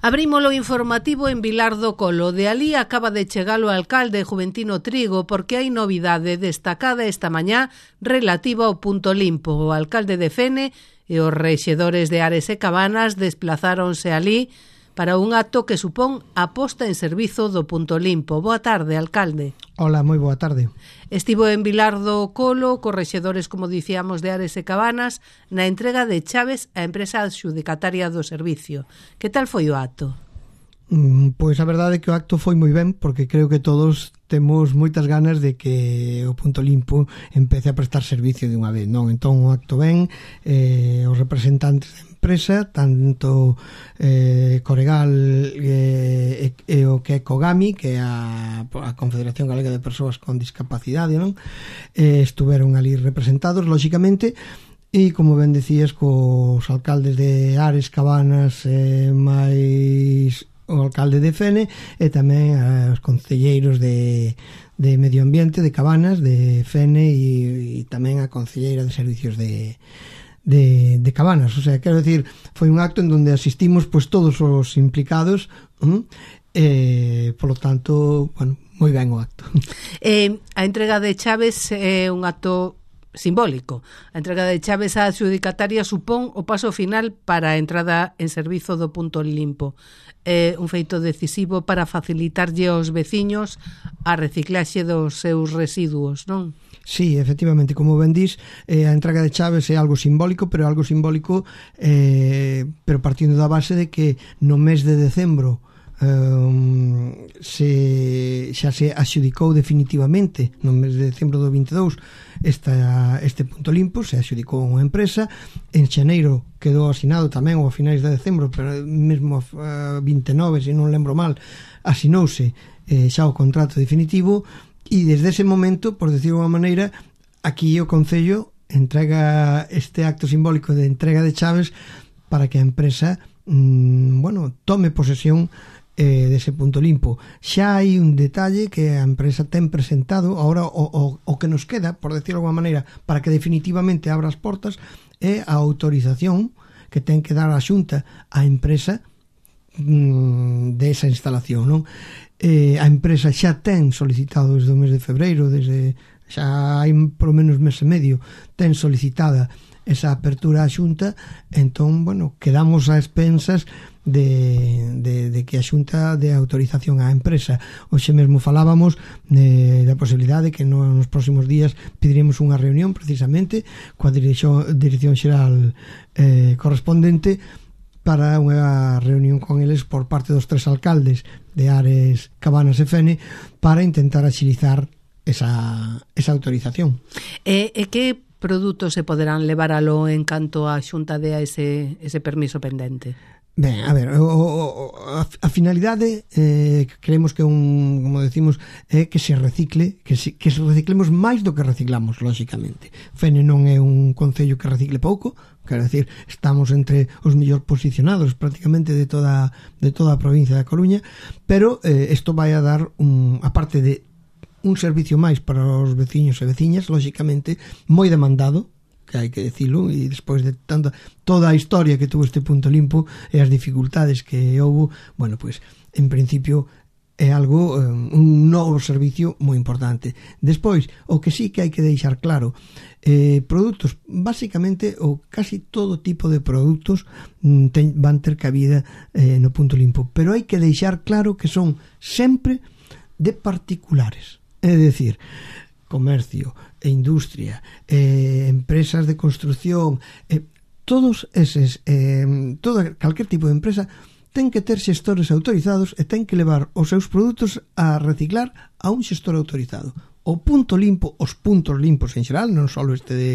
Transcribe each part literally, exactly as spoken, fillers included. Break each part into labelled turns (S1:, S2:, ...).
S1: Abrímolo informativo en Vilar do Colo. De alí acaba de chegar o alcalde Juventino Trigo porque hai novidade destacada esta mañá relativa ao punto limpo. O alcalde de Fene e os rexedores de Ares e Cabanas desplazáronse alí para un acto que supón a posta en servizo do punto limpo. Boa tarde, alcalde.
S2: Hola, moi boa tarde.
S1: Estivo en Vilar do Colo, cos rexedores, como dicíamos, de Ares e Cabanas, na entrega de chaves á empresa adxudicataria do servicio. Que tal foi o acto?
S2: Mm, pois a verdade é que o acto foi moi ben, porque creo que todos temos moitas ganas de que o punto limpo empece a prestar servicio de unha vez, non? Entón o acto ben, eh, os representantes da empresa, tanto eh, Coregal eh, e, e o que é Cogami, que é a, a Confederación Galega de Persoas con Discapacidade, non? Eh, estuveron ali representados, lóxicamente, e como ben decías, cos alcaldes de Ares, Cabanas, eh, máis o alcalde de Fene e tamén os concelleiros de, de Medio Ambiente de Cabanas, de Fene e, e tamén a concelleira de Servicios de, de, de Cabanas. O sea, quero decir, foi un acto en donde asistimos pues todos os implicados, ¿m? E, polo tanto, bueno, moi ben o acto.
S1: Eh, a entrega de chaves é un acto simbólico. A entrega de chaves á adxudicataria supón o paso final para a entrada en servizo do punto limpo. É un feito decisivo para facilitarlle aos veciños a reciclaxe dos seus residuos, non?
S2: Sí, efectivamente, como ben dís, eh, a entrega de chaves é algo simbólico, pero algo simbólico eh, pero partindo da base de que no mes de decembro Um, se, xa se axudicou definitivamente no mes de decembro do vinte e dous esta, este punto limpo, se axudicou unha empresa. En xaneiro quedou asinado tamén, ou a finais de decembro, pero mesmo a vinte e nove, se non lembro mal, asinouse eh, xa o contrato definitivo, e desde ese momento, por decirlo de unha maneira, aquí o Concello entrega este acto simbólico de entrega de chaves para que a empresa mmm, bueno, tome posesión eh, dese punto limpo. Xa hai un detalle que a empresa ten presentado agora, o, o, o que nos queda, por decirlo de alguma maneira, para que definitivamente abra as portas, é a autorización que ten que dar a Xunta á empresa mmm, desa instalación, non? Eh, a empresa xa ten solicitado desde o mes de febreiro, desde xa hai polo menos mes e medio, ten solicitada esa apertura á Xunta. Entón, bueno, quedamos a expensas de, de, de que a Xunta dé autorización á empresa. Hoxe mesmo falábamos de, da posibilidade que no, nos próximos días pediríamos unha reunión precisamente coa Dirección, Dirección Xeral eh, correspondente para unha reunión con eles por parte dos tres alcaldes de Ares, Cabanas e Fene para intentar axilizar esa, esa autorización.
S1: E, e que produtos se poderán levar alo en canto a Xunta dea ese, ese permiso pendente?
S2: Ben, a ver, o, o, a, a finalidade eh, creemos que un, como decimos, é que se recicle, que se, que se reciclemos máis do que reciclamos, lóxicamente. Fene non é un concello que recicle pouco, quero decir, estamos entre os mellor posicionados prácticamente de toda de toda a provincia da Coruña, pero eh, isto vai a dar un, aparte de un servicio máis para os veciños e veciñas, lóxicamente moi demandado, que hai que decirlo, e despois de tanta, toda a historia que tuvo este punto limpo e as dificultades que houve, bueno, pois, pues, en principio é algo, un novo servicio moi importante. Despois, o que sí que hai que deixar claro, eh, produtos, basicamente, ou casi todo tipo de produtos ten, van ter cabida eh, no punto limpo, pero hai que deixar claro que son sempre de particulares, é dicir, comercio e industria, eh, empresas de construción, eh, todos eses, eh, toda, calquer tipo de empresa ten que ter xestores autorizados e ten que levar os seus produtos a reciclar a un xestor autorizado. O punto limpo, os puntos limpos en xeral, non só este de,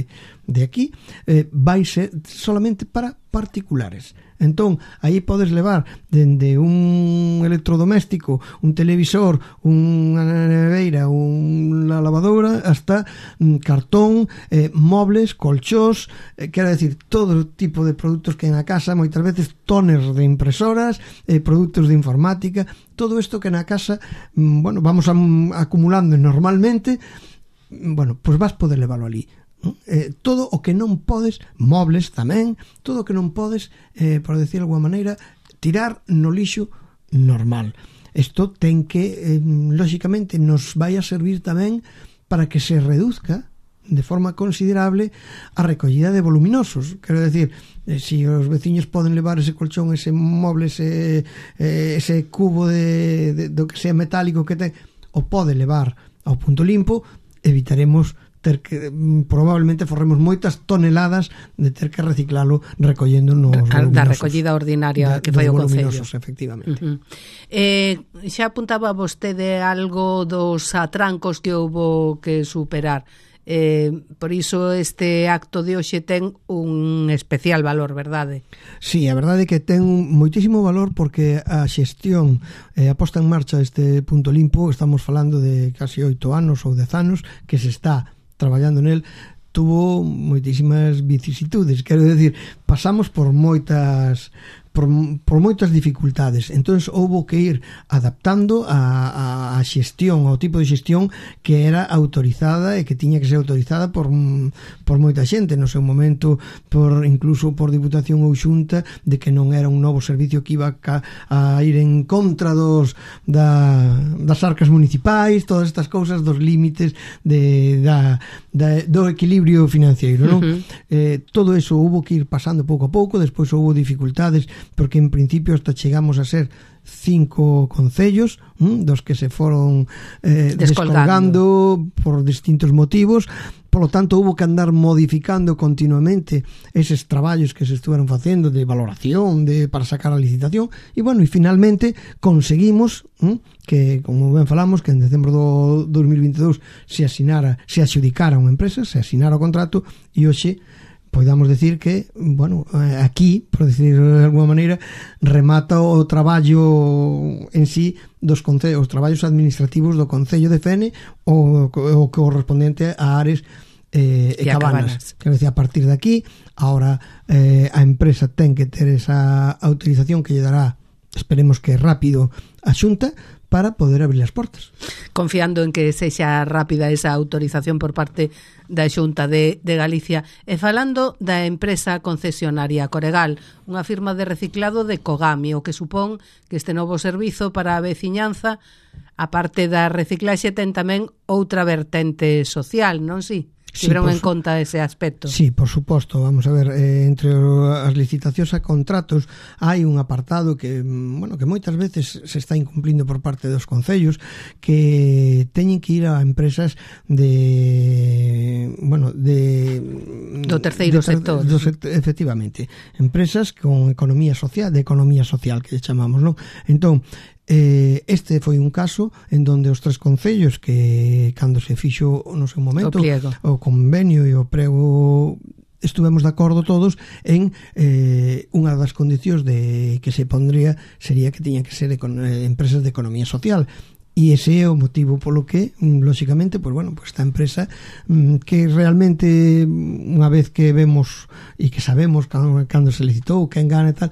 S2: de aquí, eh, vai ser solamente para particulares. Entón, aí podes levar dende un electrodoméstico, un televisor, unha neveira, unha lavadora, hasta mm, cartón, eh, mobles, colchós, eh, quero decir, todo tipo de produtos que hai na casa, moitas veces toners de impresoras, eh, produtos de informática, todo isto que na casa, mm, bueno, vamos a, acumulando normalmente, bueno, pois vas poder leválo ali. Eh, todo o que non podes, mobles tamén, todo o que non podes, eh, por decir de alguma maneira, tirar no lixo normal. Isto ten que, eh, lóxicamente, nos vai a servir tamén para que se reduzca de forma considerable a recollida de voluminosos. Quero decir, eh, si os veciños poden levar ese colchón, ese moble, ese, eh, ese cubo de, de, do que sea metálico que ten, o pode levar ao punto limpo, evitaremos ter que, probablemente forremos moitas toneladas de ter que reciclalo recollendo nos voluminosos.
S1: Da recollida ordinaria da, que fai o Concello.
S2: Efectivamente.
S1: Uh-huh. Eh, xa apuntaba vostede algo dos atrancos que houbo que superar. Eh, por iso este acto de hoxe ten un especial valor, verdade?
S2: Sí, a verdade é que ten moitísimo valor porque a xestión e eh, a posta en marcha deste punto limpo, estamos falando de casi oito anos ou dez anos que se está traballando nel, tuvo moitísimas vicisitudes, quero decir, pasamos por moitas por, por moitas dificultades, entón houbo que ir adaptando a, a, a xestión, ao tipo de xestión que era autorizada e que tiña que ser autorizada por, por moita xente no seu momento, por incluso por Diputación ou Xunta, de que non era un novo servicio que iba a, a ir en contra dos da, das arcas municipais, todas estas cousas, dos límites de, da, da, do equilibrio financiero, non? Uh-huh. Eh, todo eso houbo que ir pasando pouco a pouco, despois houbo dificultades porque en principio hasta chegamos a ser cinco concellos, hm, dos que se foron eh, descolgando por distintos motivos. Polo tanto, hubo que andar modificando continuamente eses traballos que se estuveron facendo de valoración, de para sacar a licitación, e bueno, e finalmente conseguimos hm, que, como ben falamos, que en decembro do dos mil veintidós se asinara, se adxudicara unha empresa, se asinara o contrato, e hoxe podamos decir que, bueno, aquí, por decir de alguma maneira, remata o traballo en sí dos concellos, os traballos administrativos do Concello de Fene o, o correspondente a Ares eh, e, e Cabanas. Quero decir, a partir de aquí, ahora eh, a empresa ten que ter esa autorización que lle dará, esperemos que rápido, a Xunta, para poder abrir as portas.
S1: Confiando en que sexa rápida esa autorización por parte da Xunta de, de Galicia. E falando da empresa concesionaria Coregal, unha firma de reciclado de Cogami, o que supón que este novo servizo para a veciñanza, a parte da reciclaxe, ten tamén outra vertente social, non si? Tiveron sí, en conta ese aspecto.
S2: Sí, por suposto, vamos a ver, eh, entre as licitacións a contratos hai un apartado que, bueno, que moitas veces se está incumplindo por parte dos concellos, que teñen que ir a empresas de, bueno, de
S1: do terceiro
S2: de,
S1: sector.
S2: Do, efectivamente, empresas con economía social, de economía social que chamamos, non? Entón, Eh, este foi un caso en donde os tres concellos que cando se fixo no seu momento o, o convenio e o prego estuvemos de acordo todos en eh, unha das condicións de que se pondría sería que tiñan que ser econ- empresas de economía social. E ese é o motivo polo que, lóxicamente, pues bueno, pues esta empresa que realmente unha vez que vemos e que sabemos cando, cando se licitou, quen gana e tal,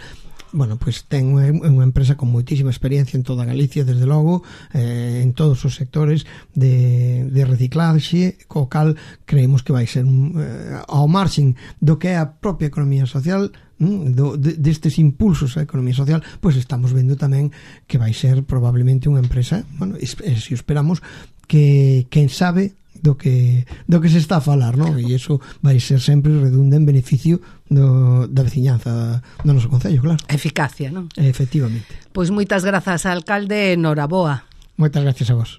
S2: bueno, pois pues ten unha empresa con moitísima experiencia en toda Galicia, desde logo, eh, en todos os sectores de, de reciclaxe, co cal creemos que vai ser eh, ao marxen do que é a propia economía social, mm, do, de, destes impulsos á economía social, pois pues estamos vendo tamén que vai ser probablemente unha empresa, bueno, e, e se esperamos que, quen sabe, do que do que se está a falar, non? E iso vai ser sempre redunda en beneficio do, da veciñanza do noso concello, claro.
S1: Eficacia, non?
S2: Efectivamente.
S1: Pois moitas grazas, alcalde, noraboa.
S2: Moitas gracias a vos.